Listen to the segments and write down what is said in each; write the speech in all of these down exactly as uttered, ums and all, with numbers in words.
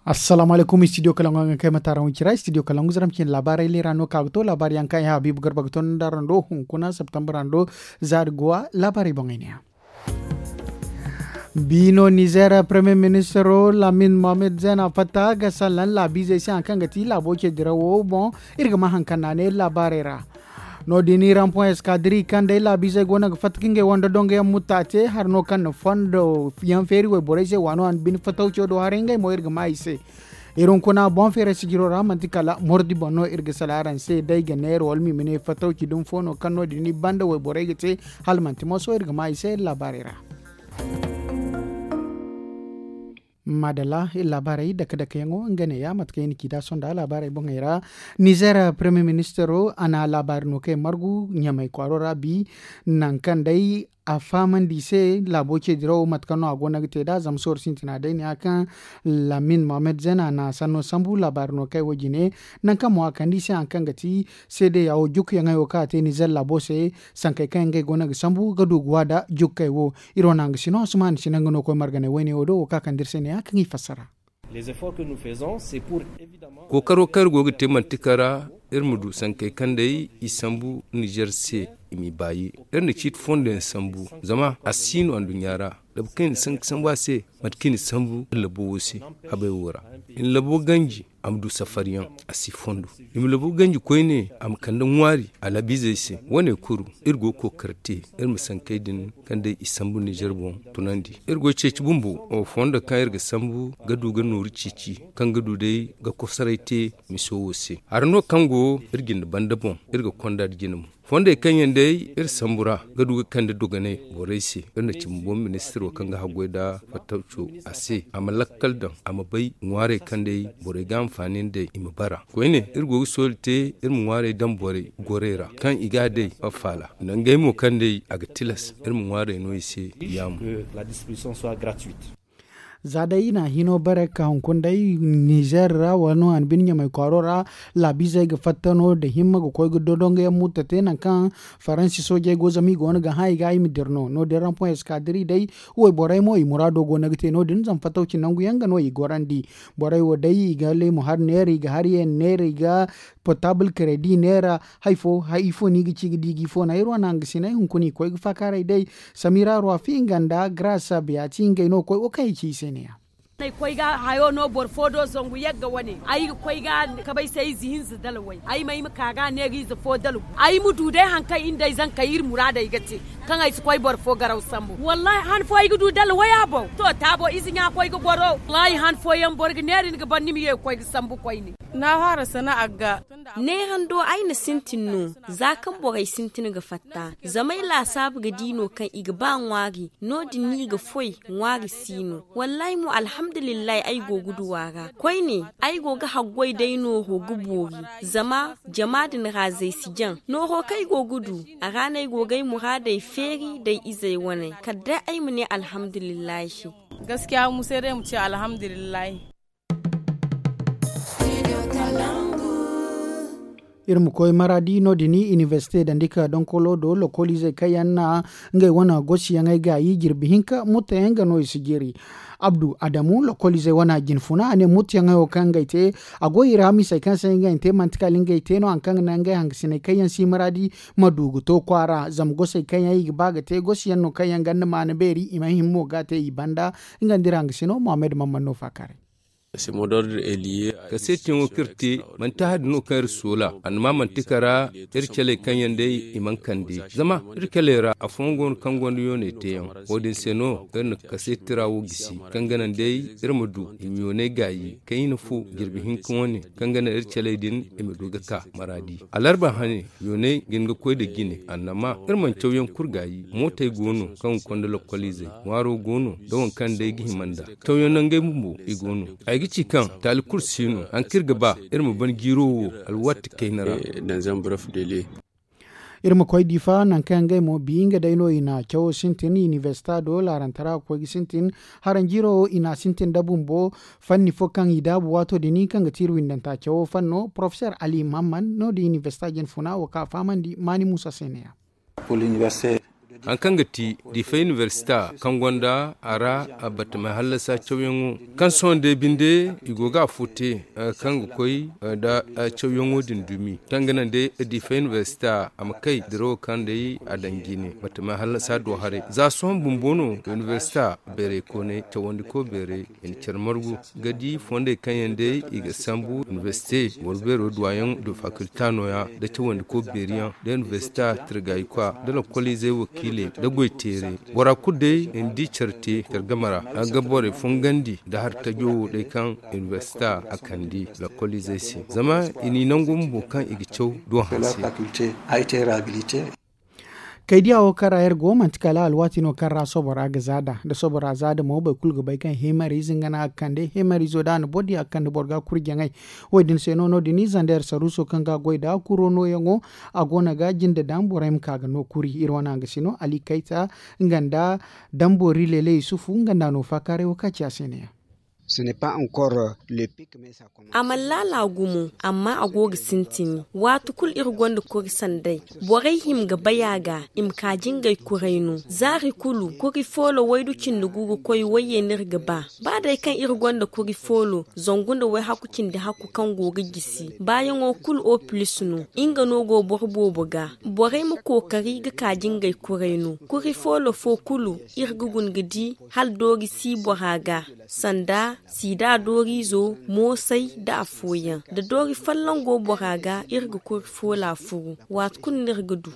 Assalaamu alaykum, studio kalangu yaŋ ga kay ma taaraŋ wicira, studio kalangu zaram cine laabaarey leera no ka ga to laabaari yaŋ kaŋ ay habiibu garba ga to nda araŋ do hunkuna septembre araŋ do zaari guwa laabaarey boŋey ne ya. Bi no nizer premier ministro lamin mohamed zena fatta ga sallan laabiizey se haŋ kaŋ ga ti laabo ce dirawo boŋ. Iri ga ma haŋ kaŋ naanay laabaarey ra. No- din iri haŋ poŋ eskadiri kaŋ day laabiizey go no ga fatta ka ngey wanda dongo yaŋ mutta te hari no kaŋ na fondo yaŋ feeri wayborey se waano a na bine fatawco do haray ngey mo iri ga ma i se. Iri hunkuna boŋ feeray sijiro ra manti kala mordi boŋ no iri ga sala araŋ se day ga neera wala ma i ma ne fatawci dumi fo no kaŋ no- din i banda wayborey ga te. Hala manti moso iri ga ma i se iri laabaarey ra. Madalla iri laabaarey dake dake yaŋo nga ne ya mate kaŋ i na ci da sonda laabaarey boŋey ra. Nizer premier ministero a na laabaari no kaŋ i margu ɲamay kwaaro ra bi. Nangu kaŋ day a fahamandi i se laabo ce dirawo mate kaŋ no a go no ga te nd'a zama sohõ sintina day ne ya kaŋ lamin mohamed zena na sanno sambu laabaari no kaŋ ay wo jine. Nangu kaŋ mo a kande i se haŋ kaŋ ga ti seedeya wo jukkuyaŋey wo kaŋ a te nizer laabo se. Sankey kaŋ yaŋ ngey go no ga sambu ga du ga wa nda jukkey wo. Iri wane hanga sino asuman si naŋ ga no koy marganay wayne wo do wo ka kande iri se ne ya kaŋ i fassara. Kookaro kaŋ iri go ga te manti kara iri ma du sankey kaŋ day i sambu nizer se i m'i baayi. Iri na ciiti fondo yaŋ sambu zama a si no anduɲɲa ra. Labu kaŋ i na sanka sambu a se mate kaŋ i na sambu iri labo wo se habay wo ra. I na labo ganji a ma du safariyaŋ a si fondo. I ma labo ganji koyne a ma kande ŋwaari a labiizey se. Wane kuru iri go ga kookari te iri ma sankey din kaŋ day i sambu nizer boŋ tunandi. Iri go ga ceeci bumbo fondo kaŋ iri ga sambu ga du ga nooru ceeci kaŋ ga du day ga kosoray te miso wo se. Hari no kaŋ go iri jinde banda boŋ iri ga konda nda jine mo. Fondey kaŋ yaŋ day iri sambu ra ga du ga kande dogonay borey se. Iri na cimi boŋ ministiro kaŋ ga haggoy nda fattawco a se a ma lakkal daŋ a ma bay ŋwaarey kaŋ day borey ga hanfaani nd'ey i ma bara koyne iri go ga sooli te. Iri ma ŋwaarey daŋ borey gorey ra kaŋ i ga a day a faala nangey mo kaŋ day a ga tilas iri ma ŋwaarey no i se. Yaamo. Za day i na hino bare ga ka hunkuna day nizer ra wala no a na bine ɲamay kwaaro ra. Laabiizey ga fatta no nda himma ga koy ga dondongo yaŋ mutta te nangu kaŋ faransi soojey go zama i go no ga hã i ga i ma dira no no- din ra poŋ eskadiri day. Wayborey mo i muraado go no ga te no- din zama fattawci nangu yaŋ ga no i gorandi. Borey wo day i ga leemu hari neera i ga hari yaŋ neera i ga portable kredi neera. Hari fo hari ifo no i ga ci ga di ga ifo no ay iri wane hangasiney hunkuna i koy ga faakaaray day. Samira ruwa fi nga nda graasa biya ti ngey no koy wo kaŋ i ci i se ne ya. Ay koy ga hayo no boro fo do zangu yagga wane ay ga koy ga kabay se ize hinza dalaway ay ma ay ma ka ga neega ize fo dalgu. Ay ma du day hari kaŋ iri nda ay zankey iri muraadey ga te kaŋ ay si koy boro fo garaw sambu wallahi han fo ay ga du dalaway a boŋ to taabo ize ɲa koy ga goro wallahi han fo yaŋ boro ga neera ni ga ban ni ma ye ga koy ga sambu koyne. Na haara sana'a ga neerando ay na sintin no. Za kaŋ borey sintin ga fatta zama ay laasaabu ga di no kaŋ i ga ba ŋwaari. No- din no i ga foy ŋwaari si no. Wallahi mo alhamdulillahi ay go ga du a ra koyne. Ay go ga haggoy day nooro ga boori zama jama din ra zay si jaŋ nooro kaŋ ay go ga du. A ra no ay go ga ay muraadey feeri d'ay izey wane kala day ay ma ne alhamdulillahi. Gaskiya mu se day ma ci alhamdulillahi. Iri ma koy maraadi no- din inibersite dandi ka donkolo do lokoliizey kaŋ yaŋ na ngey wane gosiyaŋey gaayi jirbi hinka mutteyaŋ ga no i si jiri. Abdu adamu lokoliizey wane jinfuna a ne mutteyaŋey wo kaŋ ngey te a go i ra misey kaŋ se ngey te manti kala ngey te no hari kaŋ ga naŋ ngey hangasiney kaŋ yaŋ si maraadi ma du ga to kwaara zama gosey kaŋ yaŋ i ga ba ga te gosiyaŋ no kaŋ yaŋ ganda maana beeri i mana hin mo ga a te i banda. Nga nda iri hangasino mohammed mamman no faakaaray. Kaseetiyaŋo kaŋ iri te manti hari no kaŋ iri soola annama manti kara. Iri caley kaŋ yaŋ day i mana kande zama iri caley ra afooyaŋ go no kaŋ gonda yooney teeyaŋ. Wo- din se no iri na kaseeti ra wo gisi kaŋ ga naŋ day iri ma du i ma yooney gaayi kaŋ i na fo jirbi hinka wane kaŋ ga naŋ iri caley din i ma du ga ka maraadi alarba hane. Yooney ga hin ga koy nda jine annama iri mana cawyaŋ kulu gaayi mootey go no kaŋ ga konda lokoliizey ŋwaaro go no nda waŋ kaŋ day ga hima nd'a. Cawyaŋ nangey bumbo i go no. Ay ga ci kaŋ taali kulu si no hari kaŋ iri ga ba iri ma ban jiiro wo alwaati kayna ra. Iri ma koy difa nangu kaŋ yaŋ ngey mo bi nga day no i na cawo sintin inibersita do laarantara ga koy ga sintin. Haranjiiro i na sintin nda bumbo fanni fo kaŋ i daabu waato din kaŋ ga ti iri windanta cawo fanno porofeser ali mahamman no- din inibersita jinfuna wo kaŋ a fahamandi maani muusa se ne- ya. Hari kaŋ ga ti diifa inibersita kaŋ gonda a ra batama hallasa cawyaŋo kaŋ sohõ day binde i go ga afo te kaŋ ga koy nda cawyaŋo din dumi kaŋ ga naŋ day diifa inibersita a ma kay dirawo kaŋ day a daŋ jine batama hallasa do haray za sohõ bumbo no inibersita beerey koonay cawandi ko beerey i na care margu ga di fondey kaŋ yaŋ day i ga sambu inibersite wala beero duwayaŋ du fakulta nooya nda cawandi ko beeri yaŋ nda inibersita tirgayikwa nda lakkoliizey wakiiley nda goyteerey bora kulu day i na di care te care game ra a ga borey fungandi nda hari tajo wo day kaŋ inibersita a kandi lakkoliizey se zama i n'i nangu bumbo kaŋ i ga caw duwa hanse. Kaydiya wo kaŋ ra iri go manti kala alwaati no kaŋ ra sobora ga zaada da sobora zaada mo boro kulu ga bay kaŋ himariize nga no a ga kande himariizo da a na boro diya ga kande boro ga kuri jaŋay. Wo- din se no no- din ize nda iri saruuso kaŋ ga a goy nda kuro nooyaŋo a go no ga jinde daŋ borey ma ka ga no kuri iri wane hangasino ali kayta nga nda damboori leele yusufu nga nda a no faakaaray wo kaŋ a ci a se ne- yaŋ. A mana laala gumo amma a go ga sintini waati kulu iri gonda kuri sanday borey hima ga bay a ga i ma ka jingay kuray no zaari kulu kuri foolo waydu cindi gu ga koy wayye no iri ga ba ba day kaŋ iri gonda kuri foolo zangu nda wayhaku cindi haku kaŋ go ga gisi baayaŋo kulu oplis no nga no go boro boobo ga borey ma kookari ga ka jingay kuray no kuri foolo fo kulu iri ga guna ga di hala doori si bora ga sanda siida dooriizo moosay nda afooyaŋ da doori folloŋ go bora ga iri ga kuri foola furu waati kulu no iri ga du.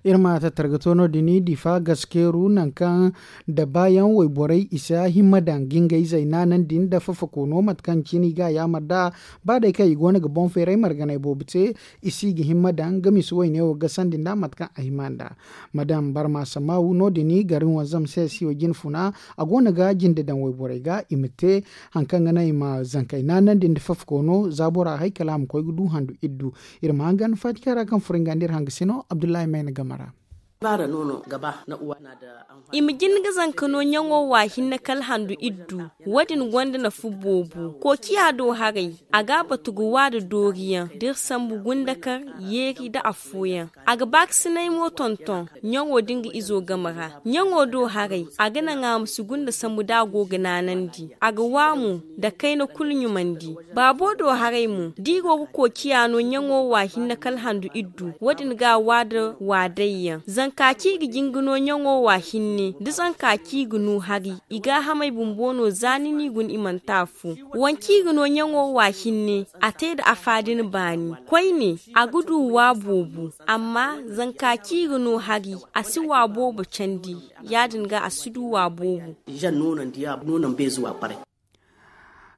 Iri ma tattara ga to no- din diifa gaskeeru nangu kaŋ da baayaŋ wayborey i si a himma daŋ ga ngey zay naanandi nda fafakoono mate kaŋ cine i ga a yaamar nd'a ba day kaŋ i go no ga boŋ feeray marganay boobo te i si ga himma daŋ ga misa wayne wo gasandi nd'a mate kaŋ a hima nd'a. Madam barma samaawu no- din gari wanzam se si wo jine funa a go no ga jinde daŋ wayborey ga i ma te hari kaŋ ga naŋ i ma zankey naanandi nda fafakoono za bora hay kala a ma koy ga du handu iddu. Iri ma hangan faati kaŋ ra kaŋ furo nga nda iri hangasino abdullahi mayna game ra. I ma jin ga zanka no ɲaŋo wa hinne kala handu iddu. Wo- din gonda nafa boobo kookiya do haray a ga a batu ga wa nda dooriyaŋ da iri sambu gundakar yeeri nda affooyaŋ. A ga baakasinay mo tonton ɲaŋo da nga izo game ra ɲaŋo do haray a ga naŋ a ma si gunda sambu da a go ga naanandi a ga wa mo nda kayna kulu ɲumandi. Baabo do haray mo da i go ga kookiya no ɲaŋo wa hinne kala handu iddu wo- din ga a wa nda waadayyaŋ zanka kaŋ i ga jin ga no ɲaŋo wa hinne da zanka kaŋ i ga no hari i gaahamey bumbo no za ni n'i guna i mana te afo. Wance i ga no ɲaŋo wa hinne a te nda afa din baani koyne a ga du wa boobo amma zanka kaŋ i ga no hari a si wa boobo candi. Ya- din ga a si du wa boobo.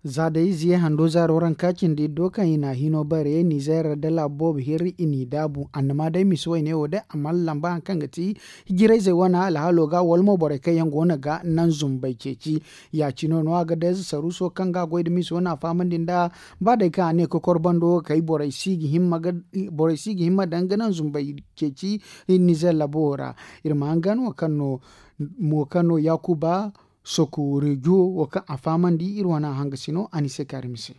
Za day ize hando zaaro ranka cindi iddo kaŋ i na a hino bare nizeer da laabu boobo hirri i n'i daabu annama day misa wayne wo day a mana lamba hari kaŋ ga ti hijirayzey wane alhaalo ga wala mo borey kaŋ yaŋ go no ga naŋ zumbey ceeci. Ya- cine no a ga day za saruuso kaŋ ga a goy nda misa wane a fahamandi nd'a ba day kaŋ a ne kokor bando wo kay borey si ga himma daŋ ga naŋ zumbey ceeci. Nizeer labo wo ra iri ma hangan wo kaŋ no mo kaŋ no yaakuba soku rejo wo kaŋ a fahamandi iri wane a hangasino a n'i se kaari mise.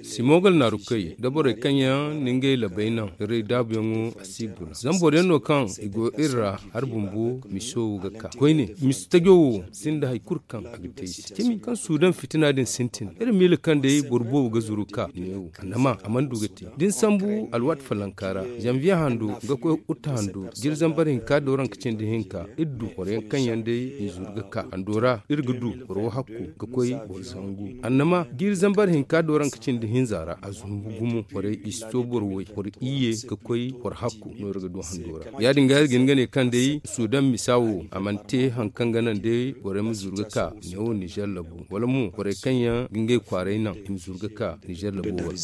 Simon galnaarukey da borey kaŋ yaŋ na ngey labey naŋ iri daabuyaŋo a si guna zama boro yaŋ no kaŋ i go iri ra hari bumbo miso ga ka koyne misi tajo wo sinda hari kulu kaŋ a ga te i se cimi kaŋ suudan fitina din sintin iri miila kaŋ day boro boobo ga zuru ka neewo annama a mana du ga te da ni sambu alwaati falanka ra zanviye hando ga koy uta hando jiri zambar hinka dooranka cindi hinka iri du boro yaŋ kaŋ yaŋ day i zuru ga ka hando ra iri ga du boro wo hakku ga koy boro zangu annama jiri zambar hinka dooranka cindi hinza ra a zumbu gumo borey i si to boro way boro iyye ga koy boro hakku no iri ga du hando ra ya- din ga iri ga hin ga ne kaŋ day suudan misa wo a mana te hari kaŋ ga naŋ day borey ma zuru ga ka neewo nizeer labu wala mo borey kaŋ yaŋ ga ngey kwaaray naŋ i ma zuru ga ka nizeer labu wara.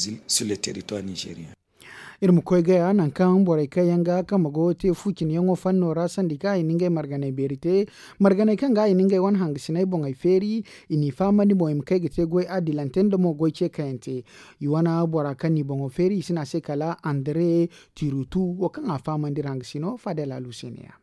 Iri ma koy gaya nangu kaŋ borey kaŋ yaŋ ga kambe go te fu cine yaŋo fanno ra sandi kaŋ i na ngey marganey beeri te marganey kaŋ ga i na ngey wane hangasiney boŋey feeri i n'i fahamandi boŋ i ma kay ga te goy adilante nda mo goy ce kayante. I wane bora kaŋ n'i boŋo feeri i si ne a se kala andre tirutu wo kaŋ a fahamandi iri hangasino fadel alu se ne- ya.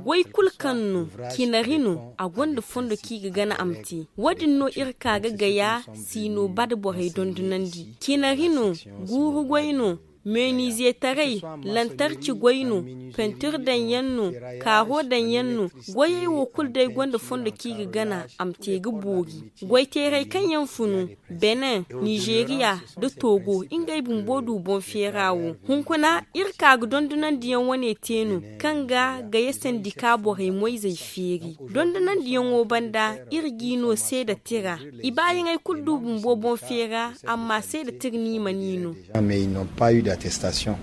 Goy kulu kaŋ no, cinari no, a gonda fondo kaŋ i ga gana a ma te. Wo- din no iri ka ga gaya, siino ba da borey dondonandi. Cinari no, guuru goy no, meeniize taray, lantarci goy no, pentir daŋ yaŋ no, kaaro daŋ yaŋ no. Goyey wo kulu day gonda fondo kaŋ i ga gana a ma te ga boori. Goy teeray kaŋ yaŋ funu, benin, nizeeriya, nda togo, ngey bumbo du boŋ feera wo. Hunkuna, iri ka ga dondonandiyaŋ wane te no, kaŋ ga gaya sandika borey moyzey feeri. Dondonandiyaŋo banda, iri g'i no seeda tira. I baayaŋey kulu du bumbo boŋ feera, amma seeda tira no i mana i no. Mais ils n'ont pas eu d'attestation.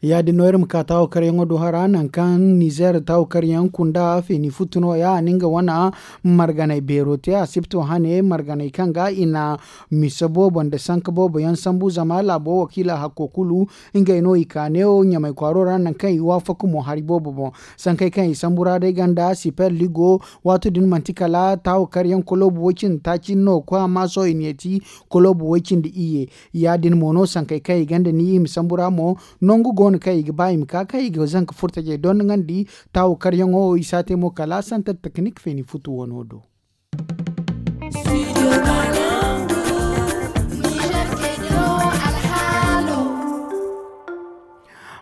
Ya- din no iri ma ka taawo karyaŋo do hara nangu kaŋ nizeer taawo karyaŋ kunda feeni futu no- ya a na nga wane marganay beero te asibto hane marganay kaŋ ga i na mise boobo nda sanka boobo yaŋ sambu zama laabo wakiila hakko kulu. Ngey no i ka neewo ɲamay kwaaro ra nangu kaŋ i waafaka mo hari boobo boŋ. Sankey kaŋ i sambu ra day ganda siper ligo, waato din manti kala taawo karyaŋ koloobu way- cindi taaci no koy amma sohõ i na yeeti koloobu way- cindi iyye. Ya- din mo no sankey kaŋ i gonda ni i ma sambu ra mo, nangu go no kaŋ i ga ba i ma ka kaŋ i ga zanka furtajey dondonandi. Taawo karyaŋo i si a te mo kala santar teknik feeni futu wano do.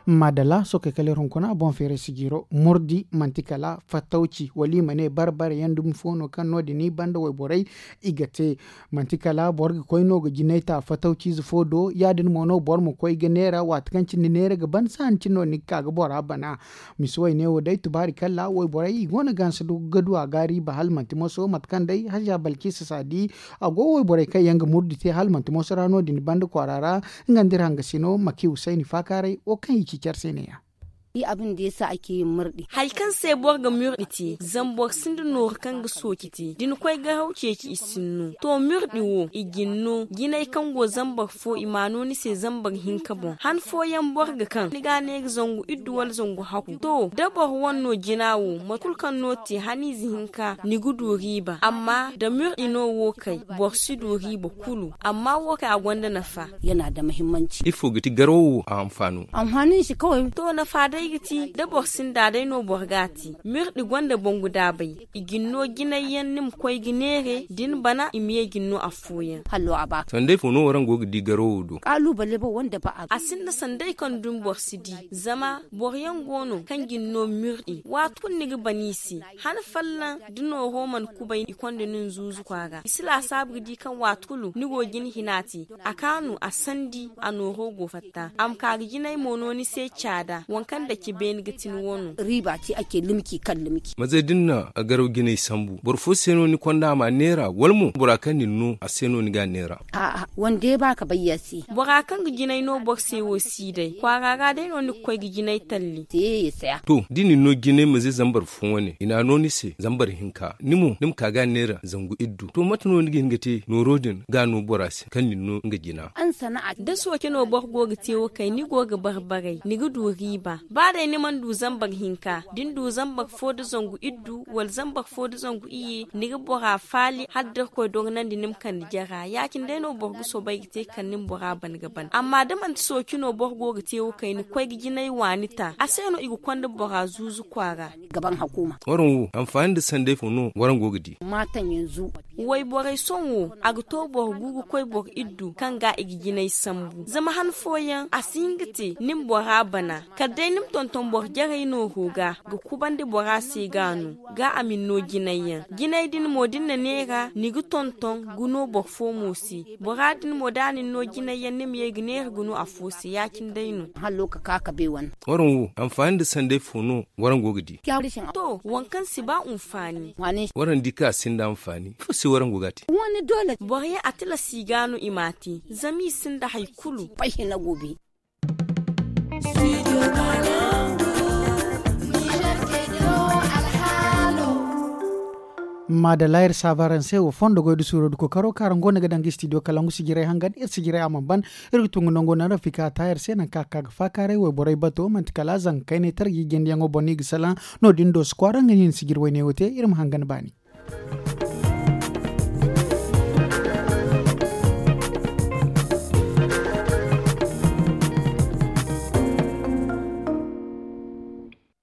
Maadalla sookey kala iri hunkuna boŋ feeray sijiro murdi manti kala fattawci wala i ma ne barbare yaŋ dumi fo no kaŋ no- din i banda wayborey i ga te. Manti kala boro ga koy no ga jinay ta fatawciize fo do ya- din mo no boro ma koy ga neera waati kaŋ cine neera ga ban saani cine no ni ga ka ga bora bana. Misi wayne wo day tubaari kalla wayborey i go no ga hanse ga du a ga riiba hala manti moso mate kaŋ day haza balkisa saadi a go wayborey kaŋ yaŋ ga murdi te hala manti moso ra no- din banda kwaara ra. Nga nda iri hangasino maki husayni faakaaray wo kaŋ i ci care se ne- ya. Hari kaŋ se boro ga mirɗi te zama boro sinda nooru kaŋ ga sooci te da ni koy garaw ceeci i sinno to mirɗi wo i ga ni no jinay kaŋ go zambar fo i m'a no ni se zambar hinka boŋ han fooyaŋ boro ga kaŋ ni ga a ne ga zangu iddu wala zangu hakku to da boro wane no jina wo mate kulu kaŋ no te haniize hinka ni ga du riiba amma da mirɗi no wo kay boro si du riiba kulu amma wo kay a gonda nafa. Ifo ga ti garaw wo a hanfaano? To nafa day ga ti da boro sinda day no boro ga a te mirɗi gonda bangu daabay i ga ni no jinay yaŋ ni ma koy ga neere da ni bana i ma ye ga ni no afooyaŋ. Sanday fo no waraŋ go ga di garawo do? A sinda sanday kaŋ dumi boro si di zama boro yaŋ go no kaŋ ga ni no mirɗi waati kulu ni ga bana i se. Han fallaŋ da nooro mana kubay i konda nin zuuzu kwaara i si laasaabu ga di kaŋ waati kulu ni go ga ni hina te a kaanu a sandi a nooro go fatta a ma ka ga jinay mo no ni se caada waŋ kaŋ dace beene ga ti ni wano. Maze da ni na garaw jinay sambu boro fo se no ni konda a ma neera wala mo bora kaŋ na ni no a se no ni ga a neera? Bora kaŋ ga jinay no boro se wo si day kwaara ra day no ni ga koy ga jinay talli. To da ni no jinay maze zambar fo wane i na a no ni se zambar hinka ni mo ni ma ka ga a neera zangu iddu to mate no ni ga hin ga te nooro din ga a no bora se kaŋ na ni no nga jina? Da sooce no boro go ga te wo kay ni go ga barbaray ni ga du riiba ba day ni mana du zambar hinka da ni du zambar fo nda zangu iddu wala zambar fo nda zangu iyye ni ga bora faali hala da irkoy dogonandi ni ma kande jara ya- cine day no boro ga soobay ga te ga kande ni bora ban ga ban amma da manti sooci no boro go ga te wo kayna koy ga jinay waani ta a se no i ga konda bora zuuzu kwaara. Waraŋ wo anfaani nda sanday fo no waraŋ go ga di? Wayborey sohõ wo a ga to boro gu ga koy boro iddu kaŋ ga i ga jinay sambu zama han fooyaŋ a si hin ga te ni ma bora bana kala day ni ma tonton boro jarey nooro ga ga kubandi bora se ga no ga a ma ni no jinay yaŋ jinay din mo da ni na neera ni ga tonton ga no boro fo mo se. Bora din mo da a na ni no jinay yaŋ ni ma ye ga neera ga no afo se ya- cine day no. Waraŋ wo anfaani nda sanday fo no waraŋ go ga di? To waŋ kaŋ si ba anfaani. Waraŋ di kaŋ a sinda anfaani ifo se waraŋ go ga a te? Boro yaŋ a tilas i ga no i m'a te zama i sinda hari kulu. Maadalla iri saaba araŋ se wo fondo goy da suuro da kookaro kaŋ araŋ go no ga daŋ ga istidiyo kalangu sijirey hangan iri sijirey a mana ban. Iri ga tungu nango naŋ rafika taayar se nangu kaŋ a ga ka ga faakaaray wayborey bato manti kala zanka kaynay tara ga i jindiyaŋo boŋ no i ga salaŋ. No- din do si kwaara nga no i na sijiri wayne wo te iri ma hangan baani.